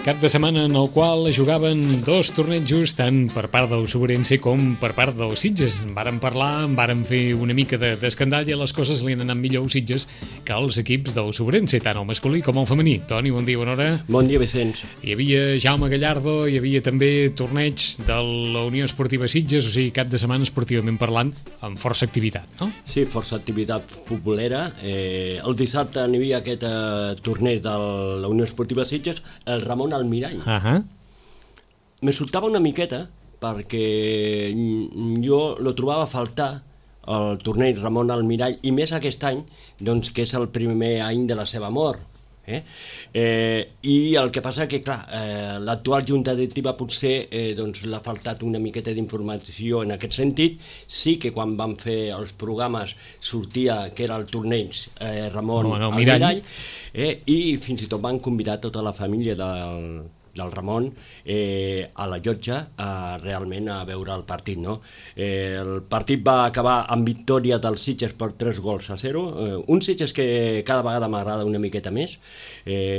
Cap de setmana en el qual jugaven dos tornejos tant per part del Sobrense com per part del Sitges. En vàrem parlar, en vàrem fer una mica d'escandall i les coses li han anat millor als Sitges que als equips del Sobrense, tant el masculí com el femení. Toni, bon dia, bona hora. Bon dia, Vicenç. Hi havia Jaume Gallardo, hi havia també torneig de la Unió Esportiva Sitges, o sigui, cap de setmana esportivament parlant, amb força activitat, no? Sí, força activitat futbolera. El dissabte n'hi havia aquest torneig de la Unió Esportiva Sitges, el Ramon Almirall. Me soltava una miqueta perquè jo lo trobava a faltar el torneig Ramon Almirall, i més aquest any, doncs, que és el primer any de la seva mort. I el que passa que, clar, l'actual junta directiva potser doncs, l'ha faltat una miqueta d'informació en aquest sentit. Sí que quan van fer els programes sortia que era el torneig Ramon Almirall, i fins i tot van convidar tota la família del Ramon a la llotja realment a veure el partit, no? El partit va acabar amb victòria dels Sitges per 3-0. Un Sitges que cada vegada m'agrada una miqueta més.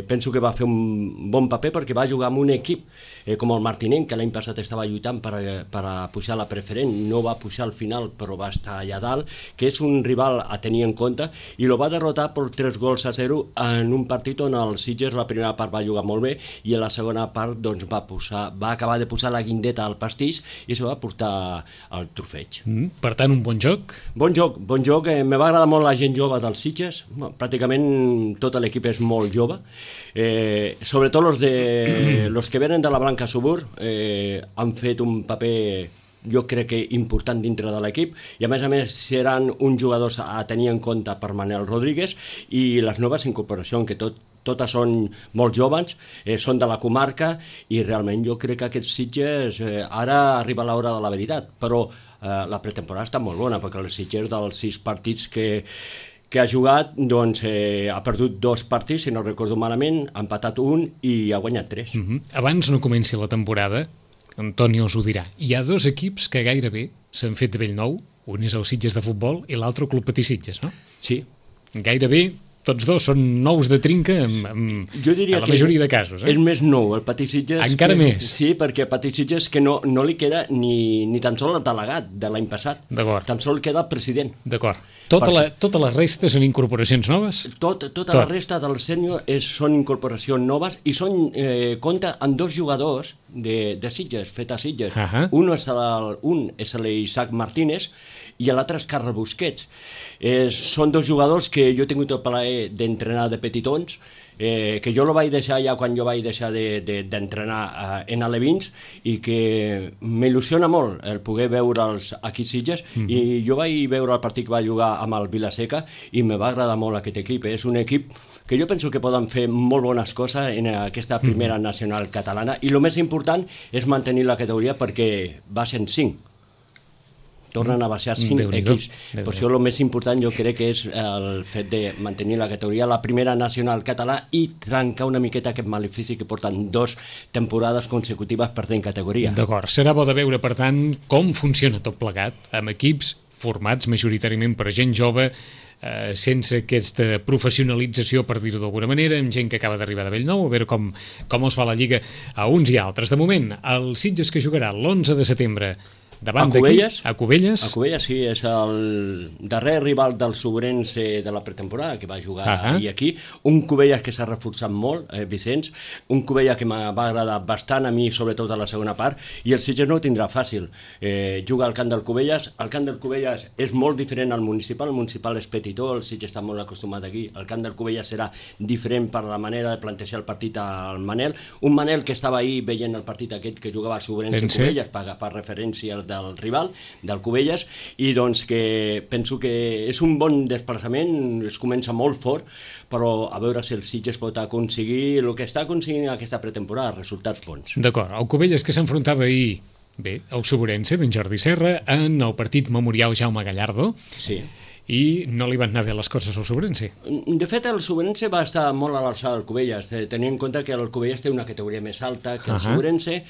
Penso que va fer un bon paper perquè va jugar amb un equip com el Martinenc, que l'any passat estava lluitant per a pujar a la preferent, no va pujar al final però va estar allà dalt, que és un rival a tenir en compte, i lo va derrotar per 3-0 en un partit on el Sitges la primera part va jugar molt bé i a la segona part doncs, va acabar de posar la guindeta al pastís i se va portar el trofeig. Per tant, un bon joc? Bon joc. Me va agradar molt la gent jove dels Sitges. Pràcticament tot l'equip és molt jove. Sobretot los que venen de la Blanca Subur han fet un paper, jo crec que important dintre de l'equip, i a més seran uns jugadors a tenir en compte per Manel Rodríguez, i les noves incorporacions, que totes són molt joves, són de la comarca, i realment jo crec que aquests Sitges ara arriba l'hora de la veritat, però la pretemporada està molt bona, perquè els Sitges dels 6 partits que ha jugat, doncs ha perdut 2 partits, si no recordo malament, ha empatat 1 i ha guanyat 3. Abans no comenci la temporada, Antoni us ho dirà, hi ha 2 equips que gairebé s'han fet de bell nou, un és el Sitges de futbol i l'altre Club Patí Sitges, no? Sí. Gairebé tots dos són nous de trinca jo diria a la majoria de casos. És més nou el Patí Sitges. Encara més. Sí, perquè Patí Sitges que no li queda ni tan sols el delegat de l'any passat. D'acord. Tan sols queda el president. D'acord. Tota la resta són incorporacions noves? Tota la resta del sènior són incorporacions noves i compta amb 2 jugadors de Sitges, fet a Sitges. Un és l'Isaac Martínez i l'altre és Carles Busquets. Són 2 jugadors que jo he tingut el plaer d'entrenar de petitons, que jo lo vaig deixar ja quan jo vaig deixar d'entrenar en alevins, i que m'il·lusiona molt el poder veure'ls aquí a Sitges, i jo vaig veure el partit que va jugar amb el Vilaseca i me va agradar molt aquest equip. És un equip que jo penso que poden fer molt bones coses en aquesta primera nacional catalana, i el més important és mantenir la categoria perquè baixen 5. Tornen a baixar 5 equips. Per això el més important jo crec que és el fet de mantenir la categoria, la primera nacional català, i trencar una miqueta aquest malefici que porten 2 temporades consecutives perdent categoria. D'acord, serà bo de veure, per tant, com funciona tot plegat, amb equips formats majoritàriament per gent jove, sense aquesta professionalització, per dir-ho d'alguna manera, amb gent que acaba d'arribar de Bellnou, a veure com els va la lliga a uns i altres. De moment, el Sitges que jugarà l'11 de setembre davant d'aquí, a Cubelles. A Cubelles, sí, és el darrer rival del Sobrense de la pretemporada, que va jugar ahir aquí. Un Cubelles que s'ha reforçat molt, Vicenç, un Cubelles que va agradar bastant a mi, sobretot a la segona part, i el Sitges no ho tindrà fàcil. Juga al camp del Cubelles, el camp del Cubelles és molt diferent al municipal, el municipal és petitó, el Sitges està molt acostumat aquí, el camp del Cubelles serà diferent per la manera de plantejar el partit al Manel, un Manel que estava ahir veient el partit aquest que jugava al Sobrense Cubelles per agafar referència del rival, del Cubelles, i doncs que penso que és un bon desplaçament, es comença molt fort, però a veure si el Sitges pot aconseguir el que està aconseguint aquesta pretemporada, resultats bons. D'acord, el Cubelles que s'enfrontava ahir, bé, el Sobrense d'en Jordi Serra, en el partit memorial Jaume Gallardo, sí, i no li van anar bé les coses al Sobrense. De fet, el Sobrense va estar molt a l'alçada del Cubelles, tenint en compte que el Cubelles té una categoria més alta que el Sobrense,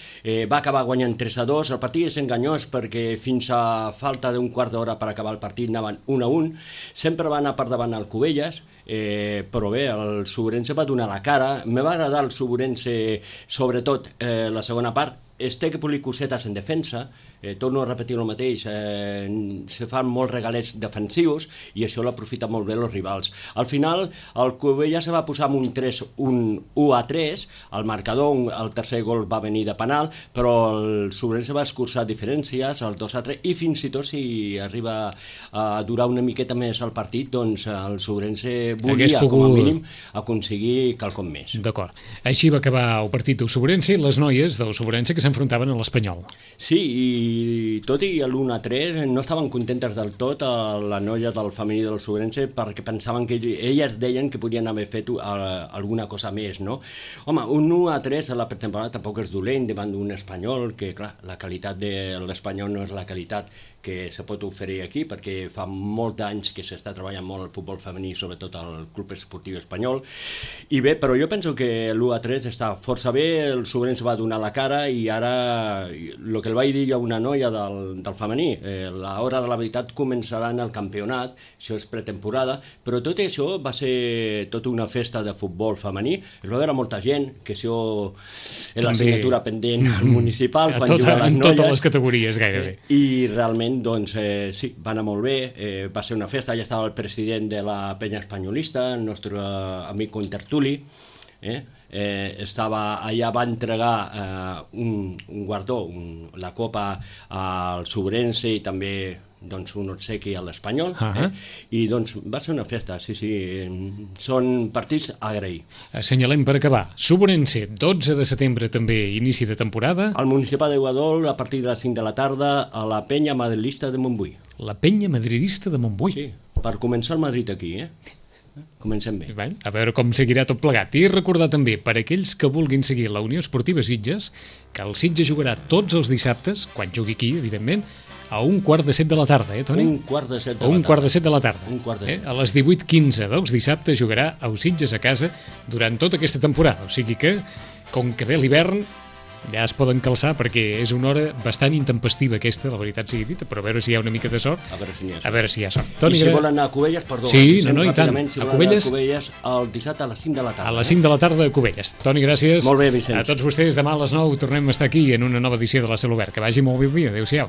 va acabar guanyant 3-2, el partit és enganyós perquè fins a falta d'un quart d'hora per acabar el partit anaven 1-1, sempre va anar per davant el Cubelles, però bé, el Sobrense va donar la cara, me va agradar el Sobrense sobretot la segona part, es té que polir cosetes en defensa, torno a repetir el mateix, se fan molts regalets defensius i això l'aprofita molt bé els rivals. Al final, el Cubelles se va posar amb un 1-3, el marcador, el tercer gol va venir de penal, però el Sobrense va escurçar diferències, el 2-3, i fins i tot si arriba a durar una miqueta més el partit, doncs el Sobrense volia, com a mínim, aconseguir quelcom més. D'acord. Així va acabar el partit del Sobrense i les noies del Sobrense que s'enfrontaven a l'Espanyol. Sí, i tot i l'1-3 no estaven contentes del tot la noia del femení del Sobrense perquè pensaven que elles deien que podien haver fet alguna cosa més, no? Home, un 1-3 a la pretemporada tampoc és dolent davant d'un espanyol, que clar, la qualitat de l'espanyol no és la qualitat que se pot oferir aquí, perquè fa molts anys que s'està treballant molt el futbol femení, sobretot al Club Esportiu Espanyol, i bé, però jo penso que l'1-3 està força bé, el Sobrense va donar la cara, i ara, el que el vaig dir a una noia del femení, l'hora de la veritat començarà en el campionat, això és pretemporada, però tot això va ser tota una festa de futbol femení, es va veure molta gent, que això és l'assignatura pendent al municipal, quan juguen les noies. En totes les categories, gairebé. I realment, doncs, sí, va anar molt bé, va ser una festa, ja estava el president de la penya espanyolista, el nostre amic contertuli, estava allà, va entregar un guardó, la copa al Sobrense i també doncs, un obsequi a l'Espanyol, i doncs va ser una festa, sí, són partits a agrair. Assenyalem per acabar, Sobrense, 12 de setembre també, inici de temporada. Al Municipal de Guadol, a partir de les 5 de la tarda, a la penya madridista de Montbui. La penya madridista de Montbui? Sí, per començar el Madrid aquí, Comencem bé. A veure com seguirà tot plegat. I recordar també, per aquells que vulguin seguir la Unió Esportiva Sitges, que el Sitges jugarà tots els dissabtes, quan jugui aquí, evidentment, a 1:45 de la tarda, Toni? 1:45 de la tarda. 1:45 de la tarda. 1:45. A les 18:15 dels dissabtes jugarà el Sitges a casa durant tota aquesta temporada. O sigui que, com que ve l'hivern, ja es poden calçar perquè és una hora bastant intempestiva aquesta, la veritat sigui dita, però a veure si hi ha una mica de sort. A veure si hi ha sort. A veure si hi ha sort. Toni, i si volen anar a Cubelles, perdó. Sí, no, i tant. Si a Cubelles el dissabte a les 5 de la tarda. A les 5 de la tarda a Cubelles. Toni, gràcies. Molt bé, Vicenç. A tots vostès, demà a les 9 tornem a estar aquí en una nova edició de la Cel Obert. Que vagi molt bé el dia. Adéu-siau.